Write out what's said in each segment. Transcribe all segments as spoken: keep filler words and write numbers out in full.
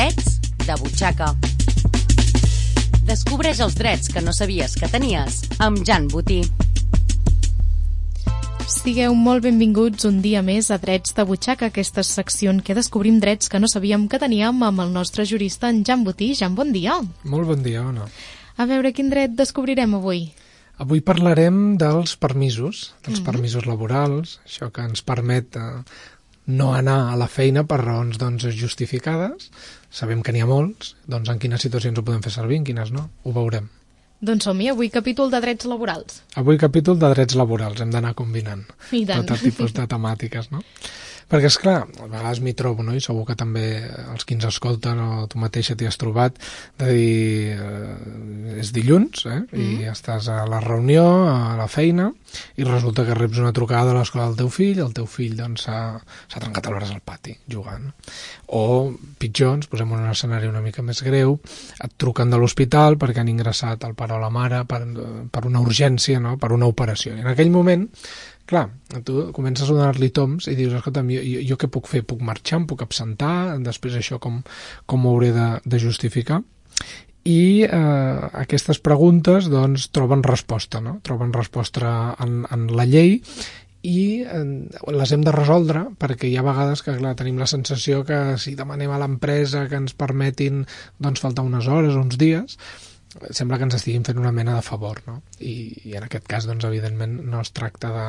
Drets de butxaca. Descobreix els drets que no sabies que tenies amb Jan Botí. Sigueu molt benvinguts un dia més a Drets de butxaca, aquesta secció en què descobrim drets que no sabíem que teníem amb el nostre jurista, en Jan Botí. Jan, bon dia. Molt bon dia, Ona. A veure, quin dret descobrirem avui? Avui parlarem dels permisos, dels Mhm. permisos laborals, això que ens permet eh, no anar a la feina per raons doncs, justificades. Sabem que n'hi ha molts, doncs en quines situacions ho podem fer servir, en quines no, ho veurem. Doncs som-hi, avui capítol de drets laborals. Avui capítol de drets laborals, hem d'anar combinant I tant. tot tipus de temàtiques, no? Perquè, esclar, a vegades m'hi trobo, no? I segur que també els qui ens escolten o tu mateixa t'hi has trobat, de dir, eh, és dilluns, eh? I Mm. estàs a la reunió, a la feina, i resulta que reps una trucada a l'escola del teu fill, el teu fill doncs s'ha s'ha trencat el braç al pati, jugant. O, pitjor, ens posem en un escenari una mica més greu, et truquen de l'hospital perquè han ingressat el pare o la mare per, per una urgència, no? Per una operació. I en aquell moment, clar, tu comences a donar-li toms i dius, escolta'm, jo, jo, jo què puc fer? Puc marxar? Em puc absentar? Després això com, com ho hauré de, de justificar? I eh, aquestes preguntes doncs troben resposta, no? Troben resposta en, en la llei i eh, les hem de resoldre perquè hi ha vegades que clar, tenim la sensació que si demanem a l'empresa que ens permetin doncs faltar unes hores o uns dies, sembla que ens estiguin fent una mena de favor, no? I, i en aquest cas, doncs, evidentment, no es tracta de,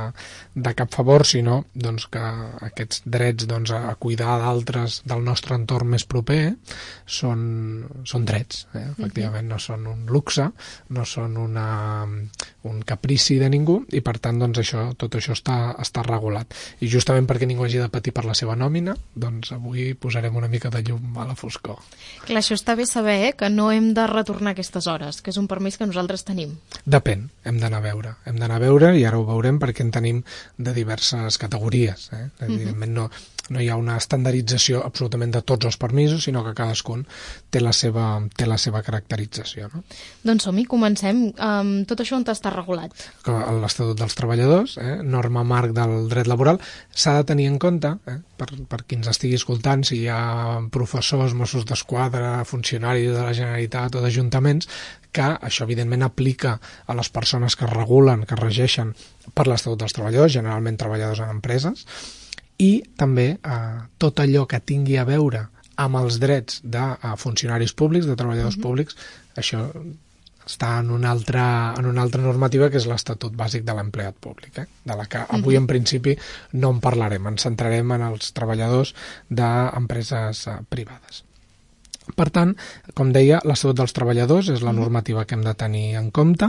de cap favor, sinó doncs, que aquests drets doncs, a cuidar d'altres del nostre entorn més proper són, són drets, eh? Efectivament, no són un luxe, no són una, un caprici de ningú, i per tant, doncs, això, tot això està, està regulat. I justament perquè ningú hagi de patir per la seva nòmina, doncs avui posarem una mica de llum a la foscor. Clar, això està bé saber, eh, que no hem de retornar aquestes hores, que és un permís que nosaltres tenim. Depèn, hem d'anar a veure. Hem d'anar a veure i ara ho veurem perquè en tenim de diverses categories. Eh? Evidentment no, no hi ha una estandardització absolutament de tots els permisos, sinó que cadascun té la seva, té la seva caracterització. No? Doncs som-hi, comencem. Um, tot això on està regulat? L'Estatut dels Treballadors, eh? norma marc del dret laboral, s'ha de tenir en compte, eh? per, per qui ens estigui escoltant, si hi ha professors, Mossos d'Esquadra, funcionaris de la Generalitat o d'ajuntaments, que això evidentment aplica a les persones que regulen, que regeixen per l'Estatut dels Treballadors, generalment treballadors en empreses, i també eh, tot allò que tingui a veure amb els drets de eh, funcionaris públics, de treballadors uh-huh. públics, això està en una altra, en una altra normativa que és l'Estatut Bàsic de l'Empleat Públic, eh? de la que avui en principi no en parlarem, ens centrarem en els treballadors d'empreses eh, privades. Per tant, com deia, l'Estatut dels Treballadors és la normativa que hem de tenir en compte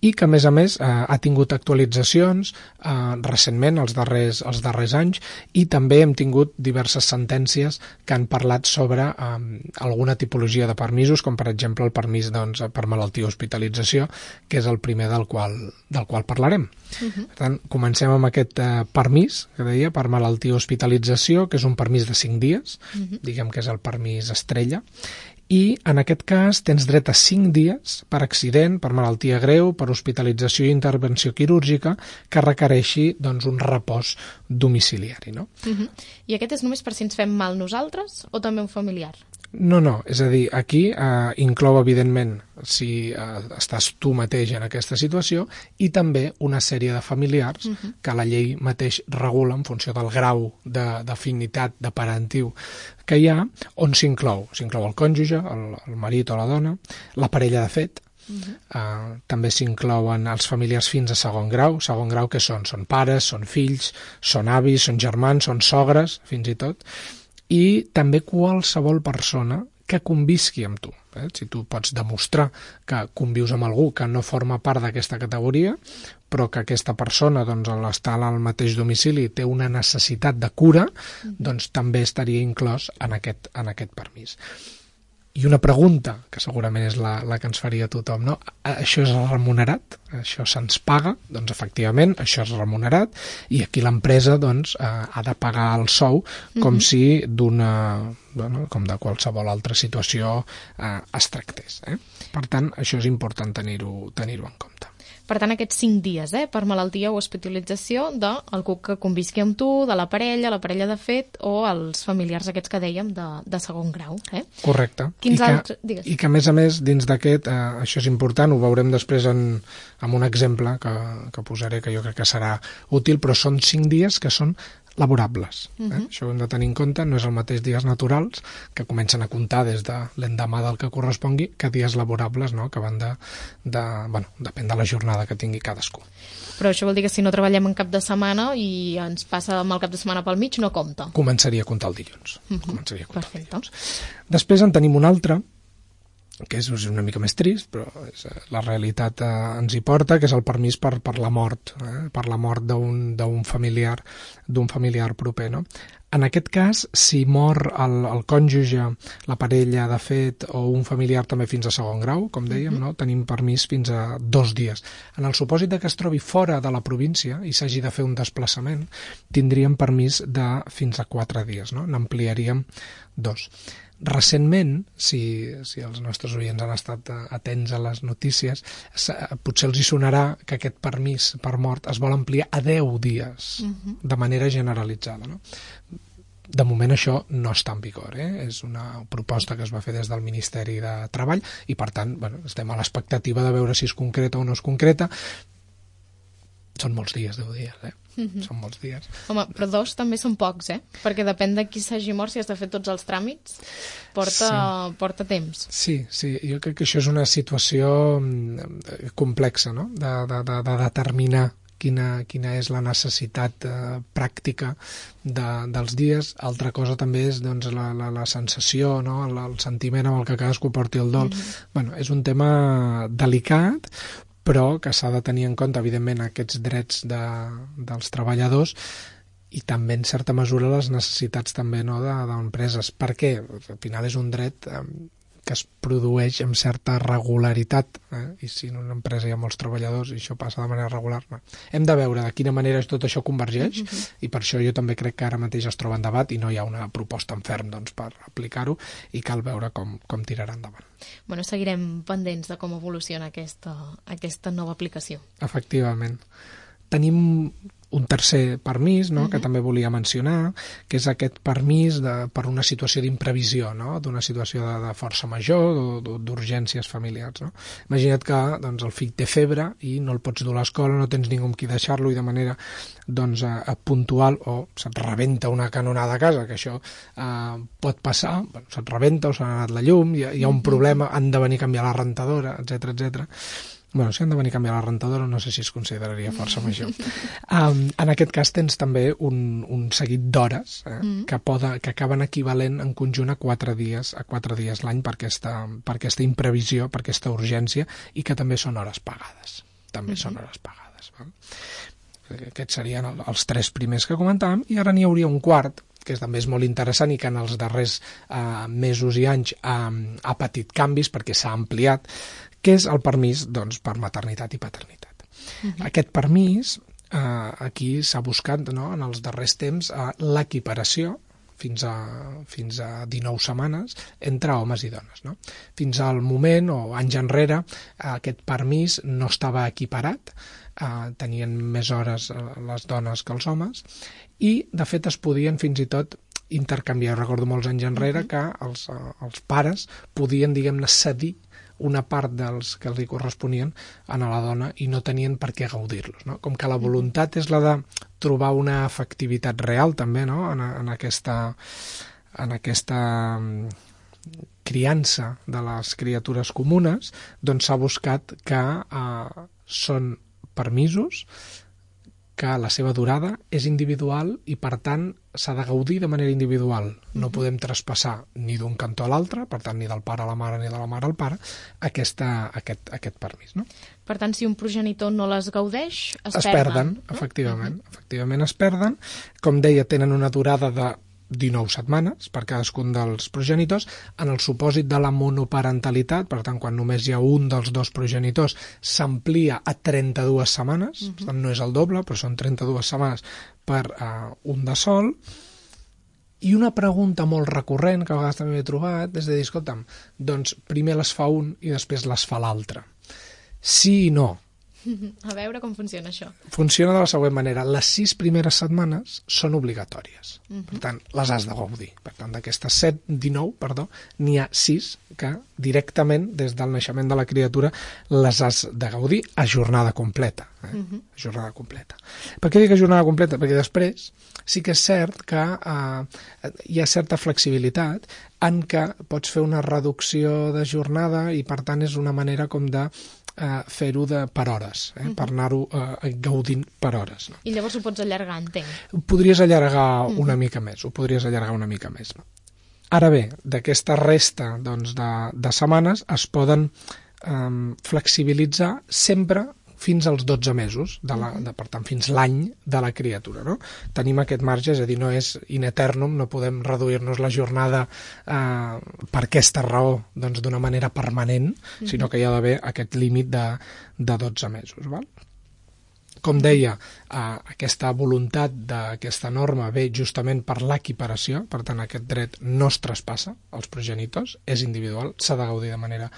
i que, a més a més, eh, ha tingut actualitzacions eh, recentment, els darrers, els darrers anys, i també hem tingut diverses sentències que han parlat sobre eh, alguna tipologia de permisos, com per exemple el permís doncs, per malaltia o hospitalització, que és el primer del qual, del qual parlarem. Uh-huh. Per tant, comencem amb aquest eh, permís, que deia, per malaltia o hospitalització, que és un permís de cinc dies, uh-huh. diguem que és el permís estrella, i en aquest cas tens dret a cinc dies per accident, per malaltia greu, per hospitalització i intervenció quirúrgica que requereixi doncs, un repòs domiciliari. No? Uh-huh. I aquest és només per si ens fem mal nosaltres o també un familiar? No, no, és a dir, aquí eh, inclou evidentment si eh, estàs tu mateix en aquesta situació i també una sèrie de familiars uh-huh. que la llei mateix regula en funció del grau d'afinitat, de, de parentiu que hi ha, on s'inclou. S'inclou el cònjuge, el, el marit o la dona, la parella de fet, uh-huh. eh, també s'inclouen els familiars fins a segon grau. Segon grau que són? Són pares, són fills, són avis, són germans, són sogres, fins i tot, i també qualsevol persona que convisqui amb tu. Eh? Si tu pots demostrar que convius amb algú que no forma part d'aquesta categoria, però que aquesta persona, doncs, a l'estar al mateix domicili té una necessitat de cura, doncs també estaria inclòs en aquest, en aquest permís. I una pregunta, que segurament és la, la que ens faria tothom, no? Això és remunerat? Això se'ns paga? Doncs efectivament, això és remunerat i aquí l'empresa doncs, eh, ha de pagar el sou com mm-hmm. si d'una, bueno, com de qualsevol altra situació eh, es tractés. Eh? Per tant, això és important tenir-ho tenir-ho en compte. Per tant, aquests cinc dies, eh, per malaltia o hospitalització d'algú que convisqui amb tu, de la parella, la parella de fet, o els familiars aquests que dèiem de, de segon grau. Eh? Correcte. Quins I que, altres... Digues. I que, a més a més, dins d'aquest, eh, això és important, ho veurem després en, en un exemple que, que posaré, que jo crec que serà útil, però són cinc dies que són laborables. Eh? Uh-huh. Això ho hem de tenir en compte, no és el mateix dies naturals, que comencen a comptar des de l'endemà del que correspongui, que dies laborables, no? Que van de, de... Bueno, depèn de la jornada que tingui cadascú. Però això vol dir que si no treballem en cap de setmana i ens passa amb el cap de setmana pel mig, no compta. Començaria a comptar el dilluns. Uh-huh. Començaria a comptar Perfecte. el dilluns. Després en tenim un altre, que és una mica més trist, però és, la realitat eh, ens hi porta, que és el permís per, per la mort, eh? per la mort d'un d'un familiar, d'un familiar proper, no? En aquest cas, si mor el, el cònjuge, la parella, de fet, o un familiar també fins a segon grau, com dèiem, mm-hmm. no? Tenim permís fins a dos dies. En el supòsit de que es trobi fora de la província i s'hagi de fer un desplaçament, tindríem permís de fins a quatre dies, no? N'ampliaríem dos. Recentment, si, si els nostres oients han estat atents a les notícies, potser els hi sonarà que aquest permís per mort es vol ampliar a deu dies, uh-huh. de manera generalitzada. No? De moment això no està en vigor, eh? És una proposta que es va fer des del Ministeri de Treball i, per tant, bueno, estem a l'expectativa de veure si es concreta o no es concreta. Són molts dies, deu dies, eh? Mm-hmm. Són molts dies. Home, però dos també són pocs, eh? Perquè depèn de qui s'hagi mort, si has de fer tots els tràmits, porta, sí. porta temps. Sí, sí, jo crec que això és una situació complexa, no? De, de, de, de determinar quina, quina és la necessitat eh, pràctica de, dels dies. Altra cosa també és doncs, la, la, la sensació, no? el, el sentiment amb el que cadascú porti el dol. Mm-hmm. Bueno, és un tema delicat, però que s'ha de tenir en compte, evidentment, aquests drets de, dels treballadors i també, en certa mesura, les necessitats també no, d'empreses. Per què? Al final és un dret eh, que es produeix amb certa regularitat, eh? I si en una empresa hi ha molts treballadors i això passa de manera regular, no. Hem de veure de quina manera tot això convergeix, mm-hmm. i per això jo també crec que ara mateix es troba en debat i no hi ha una proposta en ferm doncs, per aplicar-ho, i cal veure com, com tirarà endavant. Bueno, seguirem pendents de com evoluciona aquesta, aquesta nova aplicació. Efectivament. Tenim un tercer permís, no?, uh-huh. que també volia mencionar, que és aquest permís de, per una situació d'imprevisió, no?, d'una situació de, de força major, d'urgències familiars. No? Imagina't que doncs, el fill té febre i no el pots dur a l'escola, no tens ningú amb qui deixar-lo i de manera doncs, a, a puntual, o se't rebenta una canonada a casa, que això eh, pot passar, bueno, se't rebenta o s'ha anat la llum, hi ha, hi ha un problema, han de venir a canviar la rentadora, etcètera, etcètera. Bueno, si han de venir a canviar la rentadora, no sé si es consideraria força major. Um, en aquest cas tens també un, un seguit d'hores eh, mm. que, poda, que acaben equivalent en conjunt a quatre dies a quatre dies l'any per aquesta, per aquesta imprevisió, per aquesta urgència, i que també són hores pagades. També mm-hmm. són hores pagades. Val? Aquests serien els tres primers que comentàvem, i ara n'hi hauria un quart, que també és molt interessant i que en els darrers eh, mesos i anys eh, ha patit canvis perquè s'ha ampliat, que és el permís doncs, per maternitat i paternitat. Uh-huh. Aquest permís, eh, aquí s'ha buscat no, en els darrers temps eh, l'equiparació fins a, fins a dinou setmanes entre homes i dones. No? Fins al moment, o anys enrere, eh, aquest permís no estava equiparat, eh, tenien més hores les dones que els homes, i de fet es podien fins i tot intercanviar. Recordo molts anys enrere uh-huh. que els, els pares podien, diguem-ne, cedir una part dels que els hi corresponien a la dona i no tenien per què gaudir-los. No? Com que la voluntat és la de trobar una efectivitat real també no? en, en aquesta, en aquesta criança de les criatures comunes, doncs s'ha buscat que eh, són permisos que la seva durada és individual i, per tant, s'ha de gaudir de manera individual. No podem traspassar ni d'un cantó a l'altre, per tant, ni del pare a la mare ni de la mare al pare, aquesta, aquest, aquest permís. No? Per tant, si un progenitor no les gaudeix, es, es perden. perden, no? efectivament. Uh-huh. Efectivament es perden. Com deia, tenen una durada de dinou setmanes per cadascun dels progenitors. En el supòsit de la monoparentalitat, per tant, quan només hi ha un dels dos progenitors, s'amplia a trenta-dues setmanes, uh-huh. per tant, no és el doble, però són trenta-dues setmanes per uh, un de sol. I una pregunta molt recurrent, que a vegades també he trobat, és de dir, escolta'm, doncs primer les fa un i després les fa l'altre. Sí i no. A veure com funciona això. Funciona de la següent manera. Les sis primeres setmanes són obligatòries. Uh -huh. Per tant, les has de gaudir. Per tant, d'aquestes set, dinou, perdó, n'hi ha sis que directament, des del naixement de la criatura, les has de gaudir a jornada completa. Eh? Uh -huh. A jornada completa. Per què dic a jornada completa? Perquè després sí que és cert que eh, hi ha certa flexibilitat en què pots fer una reducció de jornada i, per tant, és una manera com de Uh, fer-ho de per hores, eh? uh -huh. per anar-ho uh, gaudint per hores. No? I llavors ho pots allargar, entenc. Ho podries allargar uh -huh. una mica més, ho podries allargar una mica més. No? Ara bé, d'aquesta resta doncs, de, de setmanes es poden um, flexibilitzar sempre fins als dotze mesos, de la, de, per tant, fins l'any de la criatura. No? Tenim aquest marge, és a dir, no és in eternum, no podem reduir-nos la jornada eh, per aquesta raó doncs, d'una manera permanent, mm-hmm. sinó que hi ha d'haver aquest límit de, de dotze mesos. Val? Com deia, eh, aquesta voluntat d'aquesta norma ve justament per l'equiparació, per tant, aquest dret no es traspassa als progenitors, és individual, s'ha de gaudir de manera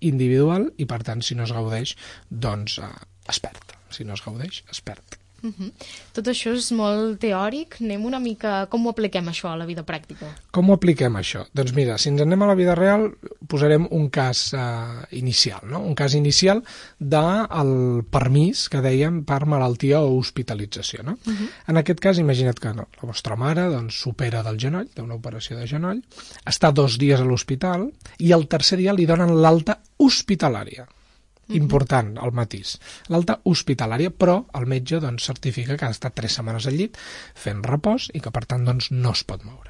individual i, per tant, si no es gaudeix, doncs eh, es perd. Si no es gaudeix, es perd. Uh-huh. Tot això és molt teòric. Anem una mica... Com ho apliquem, això, a la vida pràctica? Com ho apliquem, això? Doncs mira, si ens anem a la vida real, posarem un cas eh, inicial, no? Un cas inicial del permís que dèiem per malaltia o hospitalització, no? Uh-huh. En aquest cas, imagina't que no, la vostra mare doncs, s'opera del genoll, d'una operació de genoll, està dos dies a l'hospital i el tercer dia li donen l'alta hospitalària. Important, el matís. L'alta hospitalària, però el metge doncs, certifica que ha estat tres setmanes al llit fent repòs i que, per tant, doncs, no es pot moure.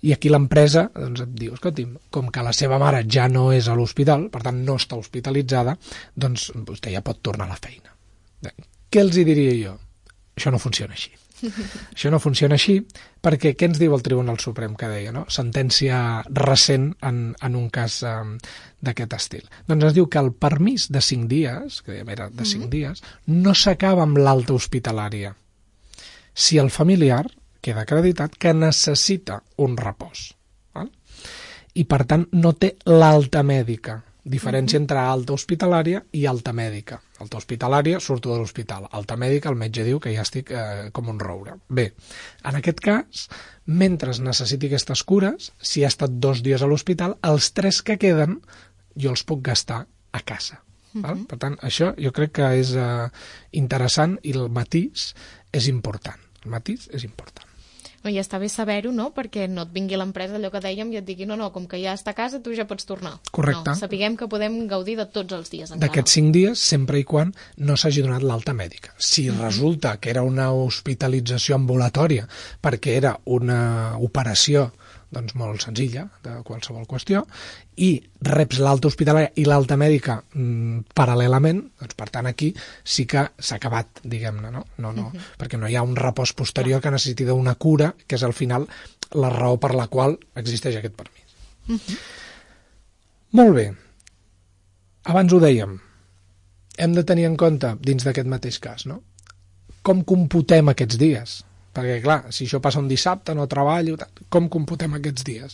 I aquí l'empresa doncs, et diu, escolti'm, com que la seva mare ja no és a l'hospital, per tant, no està hospitalitzada, doncs vostè ja pot tornar a la feina. Què els hi diria jo? Això no funciona així. Això no funciona així perquè què ens diu el Tribunal Suprem que deia, no? Sentència recent en, en un cas um, d'aquest estil. Doncs ens diu que el permís de cinc dies, que era de cinc mm-hmm. dies, no s'acaba amb l'alta hospitalària. Si el familiar queda acreditat que necessita un repòs. Val? I per tant no té l'alta mèdica. Diferència entre alta hospitalària i alta mèdica. Alta hospitalària, surto de l'hospital. Alta mèdica, el metge diu que ja estic eh, com un roure. Bé, en aquest cas, mentre necessiti aquestes cures, si ha estat dos dies a l'hospital, els tres que queden jo els puc gastar a casa. Uh-huh. Val? Per tant, això jo crec que és eh, interessant i el matís és important. El matís és important. I està bé saber-ho, no? Perquè no et vingui l'empresa, allò que dèiem, i et digui, no, no, com que ja està a casa, tu ja pots tornar. Correcte. No, sapiguem que podem gaudir de tots els dies encara. D'aquests cinc dies, sempre i quan no s'hagi donat l'alta mèdica. Si uh-huh. resulta que era una hospitalització ambulatòria perquè era una operació doncs molt senzilla, de qualsevol qüestió, i reps l'alta hospitalària i l'alta mèdica mm, paral·lelament, doncs per tant aquí sí que s'ha acabat, diguem-ne, no? No, no, uh-huh. perquè no hi ha un repòs posterior que necessiti d'una cura, que és al final la raó per la qual existeix aquest permís. Uh-huh. Molt bé. Abans ho dèiem, hem de tenir en compte, dins d'aquest mateix cas, no? Com computem aquests dies? Perquè, clar, si això passa un dissabte, no treballo, com computem aquests dies?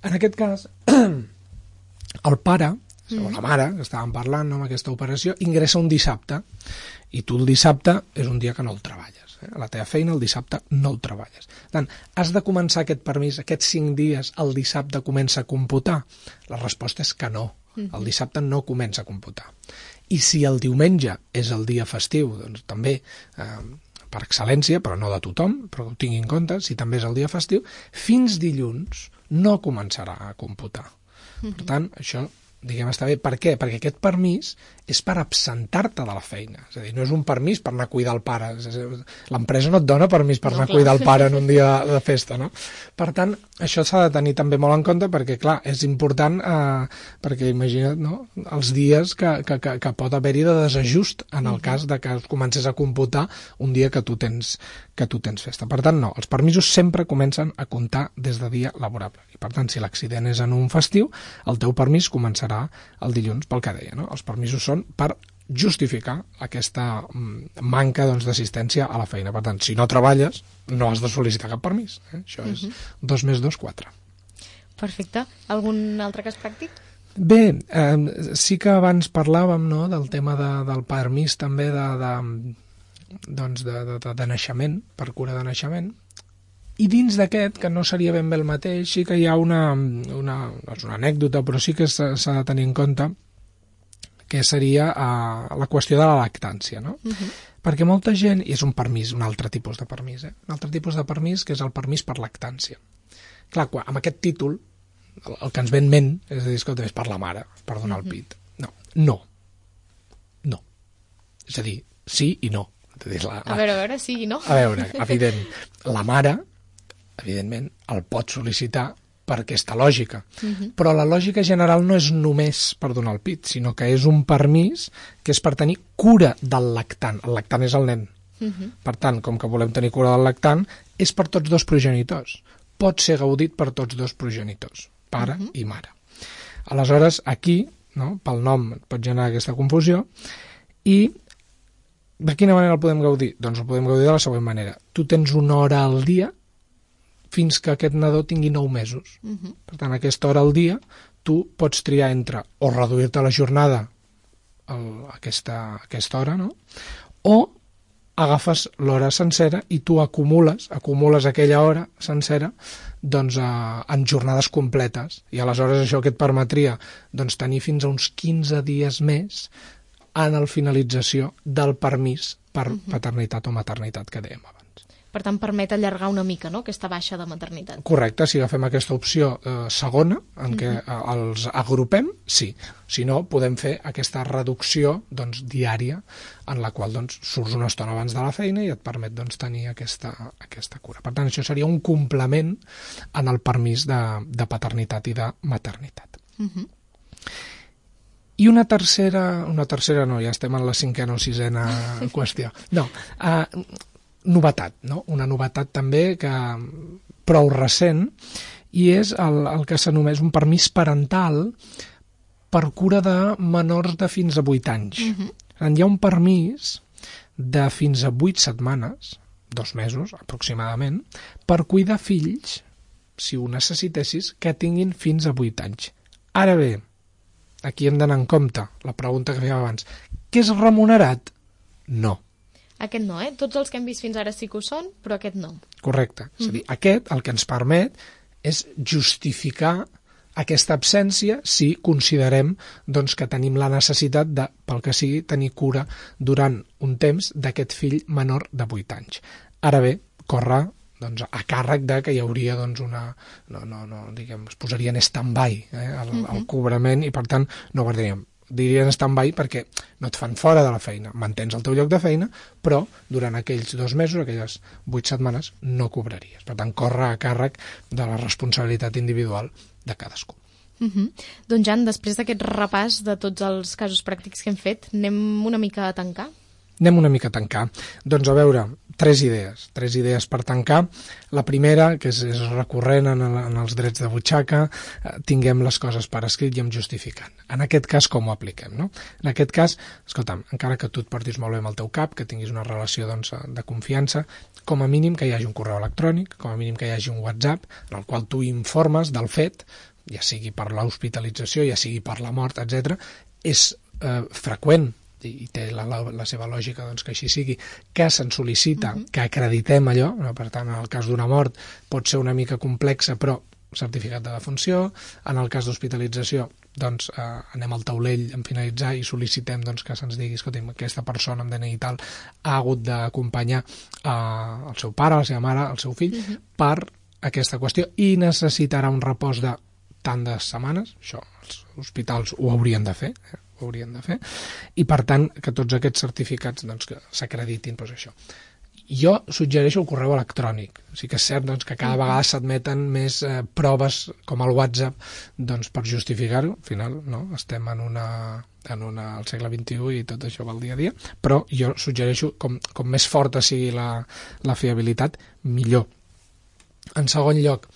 En aquest cas, el pare, mm. o la mare, que estàvem parlant no, amb aquesta operació, ingressa un dissabte, i tu el dissabte és un dia que no el treballes. Eh? A la teva feina el dissabte no el treballes. Per tant, has de començar aquest permís, aquests cinc dies, el dissabte comença a computar? La resposta és que no. El dissabte no comença a computar. I si el diumenge és el dia festiu, doncs també... Eh, per excel·lència, però no de tothom, però ho tingui en compte, si també és el dia festiu, fins dilluns no començarà a computar. Uh-huh. Per tant, això, diguem, està bé. Per què? Perquè aquest permís és per absentar-te de la feina. És a dir, no és un permís per anar a cuidar el pare. L'empresa no et dona permís per no, anar clar. a cuidar el pare en un dia de festa, no? Per tant, això s'ha de tenir també molt en compte perquè, clar, és important eh, perquè imagina't, no?, els dies que, que, que, que pot haver-hi de desajust en el uh-huh. cas de que comences a computar un dia que tu tens que tu tens festa. Per tant, no, els permisos sempre comencen a comptar des de dia laborable. I per tant, si l'accident és en un festiu, el teu permís començarà el dilluns, pel que deia, no? Els permisos són per justificar aquesta manca doncs, d'assistència a la feina. Per tant, si no treballes, no has de sol·licitar cap permís. Eh? Això és uh-huh. dos més dos, quatre. Perfecte. Algun altre cas pràctic? Bé, eh, sí que abans parlàvem, no?, del tema de, del permís també de, de, doncs de, de, de, de naixement, per cura de naixement, i dins d'aquest, que no seria ben bé el mateix, sí que hi ha una, una, és una anècdota, però sí que s'ha de tenir en compte, que seria eh, la qüestió de la lactància, no? Uh-huh. Perquè molta gent, i és un permís, un altre tipus de permís, eh? un altre tipus de permís, que és el permís per lactància. Clar, quan, amb aquest títol, el, el que ens ve en ment és a dir, escolta, és per la mare, per donar uh-huh. el pit. No, no. No. És a dir, sí i no. Dir, la, la... A veure, a veure, sí i no. A veure, evident, la mare, evidentment, el pot sol·licitar per aquesta lògica. Uh-huh. Però la lògica general no és només per donar el pit, sinó que és un permís que és per tenir cura del lactant. El lactant és el nen. Uh-huh. Per tant, com que volem tenir cura del lactant, és per tots dos progenitors. Pot ser gaudit per tots dos progenitors, pare uh-huh. i mare. Aleshores, aquí, no, pel nom pot generar aquesta confusió, i de quina manera el podem gaudir? Doncs el podem gaudir de la següent manera. Tu tens una hora al dia fins que aquest nadó tingui nou mesos. Uh-huh. Per tant, aquesta hora al dia tu pots triar entre o reduir-te la jornada a aquesta, aquesta hora, no? O agafes l'hora sencera i tu acumules, acumules aquella hora sencera doncs, eh, en jornades completes. I aleshores això que et permetria doncs, tenir fins a uns quinze dies més en la finalització del permís per uh-huh. paternitat o maternitat que dèiem abans. Per tant, permet allargar una mica, no?, aquesta baixa de maternitat. Correcte, si agafem aquesta opció eh, segona, en què uh-huh. els agrupem, sí. Si no, podem fer aquesta reducció doncs, diària, en la qual doncs, surts una estona abans de la feina i et permet doncs, tenir aquesta, aquesta cura. Per tant, això seria un complement en el permís de, de paternitat i de maternitat. Uh-huh. I una tercera, una tercera no, ja estem en la cinquena o sisena qüestió. No, eh, novetat, no? Una novetat també que prou recent, i és el, el que s'anomena un permís parental per cura de menors de fins a vuit anys. Uh-huh. Hi ha un permís de fins a vuit setmanes, dos mesos aproximadament, per cuidar fills, si ho necessitessis, que tinguin fins a vuit anys. Ara bé, aquí hem d'anar en compte, la pregunta que fèiem abans, què és remunerat? No. Aquest no, eh? Tots els que hem vist fins ara sí que ho són, però aquest no. Correcte. És a dir, aquest el que ens permet és justificar aquesta absència si considerem doncs, que tenim la necessitat de, pel que sigui, tenir cura durant un temps d'aquest fill menor de vuit anys. Ara bé, corre doncs, a càrrec de que hi hauria doncs, una... No, no, no, diguem, es posaria en stand-by eh, el, uh-huh. el cobrament i, per tant, no guardaríem. Dirien stand-by perquè no et fan fora de la feina, mantens el teu lloc de feina, però durant aquells dos mesos, aquelles vuit setmanes, no cobraries. Per tant, corre a càrrec de la responsabilitat individual de cadascú. Uh-huh. Doncs, Jan, després d'aquest repàs de tots els casos pràctics que hem fet, anem una mica a tancar? Anem una mica a tancar. Doncs a veure, tres idees, tres idees per tancar. La primera, que és, és recurrent en, el, en els drets de butxaca, eh, tinguem les coses per escrit i em justificant. En aquest cas, com ho apliquem, no? En aquest cas, escolta'm, encara que tu et portis molt bé amb el teu cap, que tinguis una relació doncs, de confiança, com a mínim que hi hagi un correu electrònic, com a mínim que hi hagi un WhatsApp, en el qual tu informes del fet, ja sigui per l'hospitalització, ja sigui per la mort, etcètera, és eh, freqüent, i té la, la, la seva lògica doncs, que així sigui, que se'n sol·licita uh-huh. que acreditem allò, no? Per tant, en el cas d'una mort pot ser una mica complexa, però certificat de defunció, en el cas d'hospitalització doncs eh, anem al taulell en finalitzar i sol·licitem doncs, que se'ns digui, escolti'm, aquesta persona amb D N I i tal ha hagut d'acompanyar eh, el seu pare, la seva mare, el seu fill, uh-huh. per aquesta qüestió, i necessitarà un repòs de tant de setmanes, això els hospitals ho haurien de fer, eh? ho haurien de fer, i per tant que tots aquests certificats doncs, que s'acreditin doncs, això. Jo suggereixo el correu electrònic. Sí que és cert doncs, que cada vegada s'admeten més eh, proves com el WhatsApp doncs, per justificar-ho. Al final no? Estem en una, en una, al segle vint-i-u i tot això va al dia a dia, però jo suggereixo com, com més forta sigui la, la fiabilitat, millor. En segon lloc,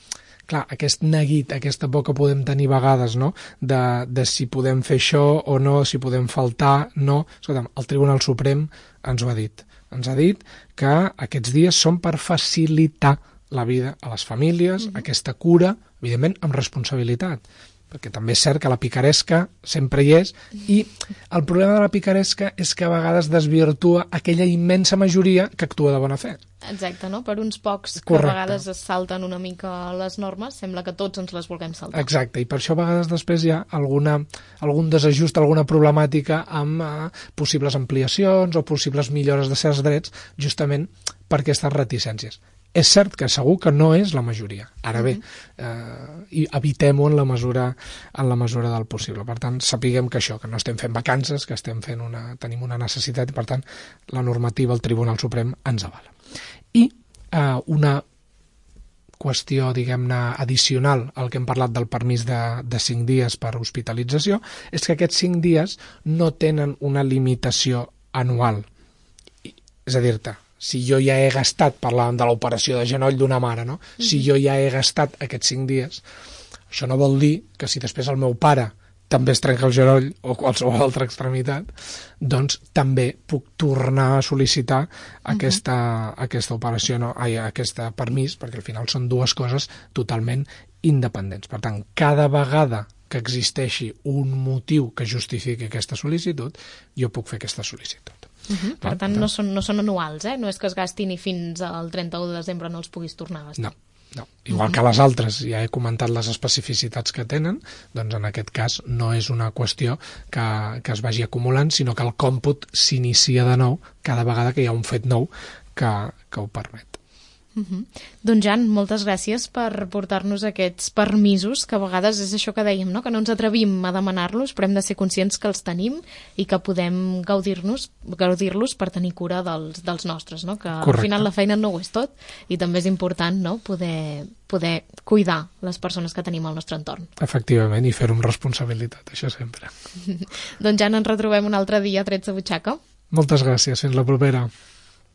clar, aquest neguit, aquesta por que podem tenir vegades, no?, de, de si podem fer això o no, si podem faltar, no. Escolta'm, el Tribunal Suprem ens ho ha dit. Ens ha dit que aquests dies són per facilitar la vida a les famílies, mm-hmm. aquesta cura, evidentment, amb responsabilitat. perquè també és cert que la picaresca sempre hi és, i el problema de la picaresca és que a vegades desvirtua aquella immensa majoria que actua de bona fe. Exacte, no? Per uns pocs que Correcte. a vegades es salten una mica les normes, sembla que tots ens les vulguem saltar. Exacte, i per això a vegades després hi ha alguna, algun desajust, alguna problemàtica amb eh, possibles ampliacions o possibles millores de certs drets, justament per aquestes reticències. És cert que segur que no és la majoria. Ara bé, eh, i evitem-ho en la mesura en la mesura del possible. Per tant, sapiguem que això, que no estem fent vacances, que estem fent una, tenim una necessitat i, per tant, la normativa del Tribunal Suprem ens avala. I eh, una qüestió, diguem-ne, addicional al que hem parlat del permís de, de cinc dies per hospitalització, és que aquests cinc dies no tenen una limitació anual. És a dir-te, si jo ja he gastat, parlàvem de l'operació de genoll d'una mare, no? Mm-hmm. Si jo ja he gastat aquests cinc dies, això no vol dir que si després el meu pare també es trenca el genoll o qualsevol altra extremitat, doncs també puc tornar a sol·licitar aquesta, mm-hmm. aquesta operació, no? Ai, aquest permís, perquè al final són dues coses totalment independents. Per tant, cada vegada que existeixi un motiu que justifiqui aquesta sol·licitud, jo puc fer aquesta sol·licitud. Uh-huh. Per tant, no són, no són anuals, eh? No és que es gastin i fins al trenta-u de desembre no els puguis tornar a gastar. No, no. Igual uh-huh. que les altres, ja he comentat les especificitats que tenen, doncs en aquest cas no és una qüestió que, que es vagi acumulant, sinó que el còmput s'inicia de nou cada vegada que hi ha un fet nou que, que ho permet. Uh-huh. Doncs Jan, moltes gràcies per portar-nos aquests permisos, que a vegades és això que dèiem, no? Que no ens atrevim a demanar-los, però hem de ser conscients que els tenim i que podem gaudir-nos, gaudir-los per tenir cura dels, dels nostres, no? Que Correcte. Al final la feina no ho és tot i també és important, no? Poder, poder cuidar les persones que tenim al nostre entorn. Efectivament, i fer-ho amb responsabilitat, això sempre. Doncs Jan, ens retrobem un altre dia a Trets de Butxaca. Moltes gràcies, fins la propera.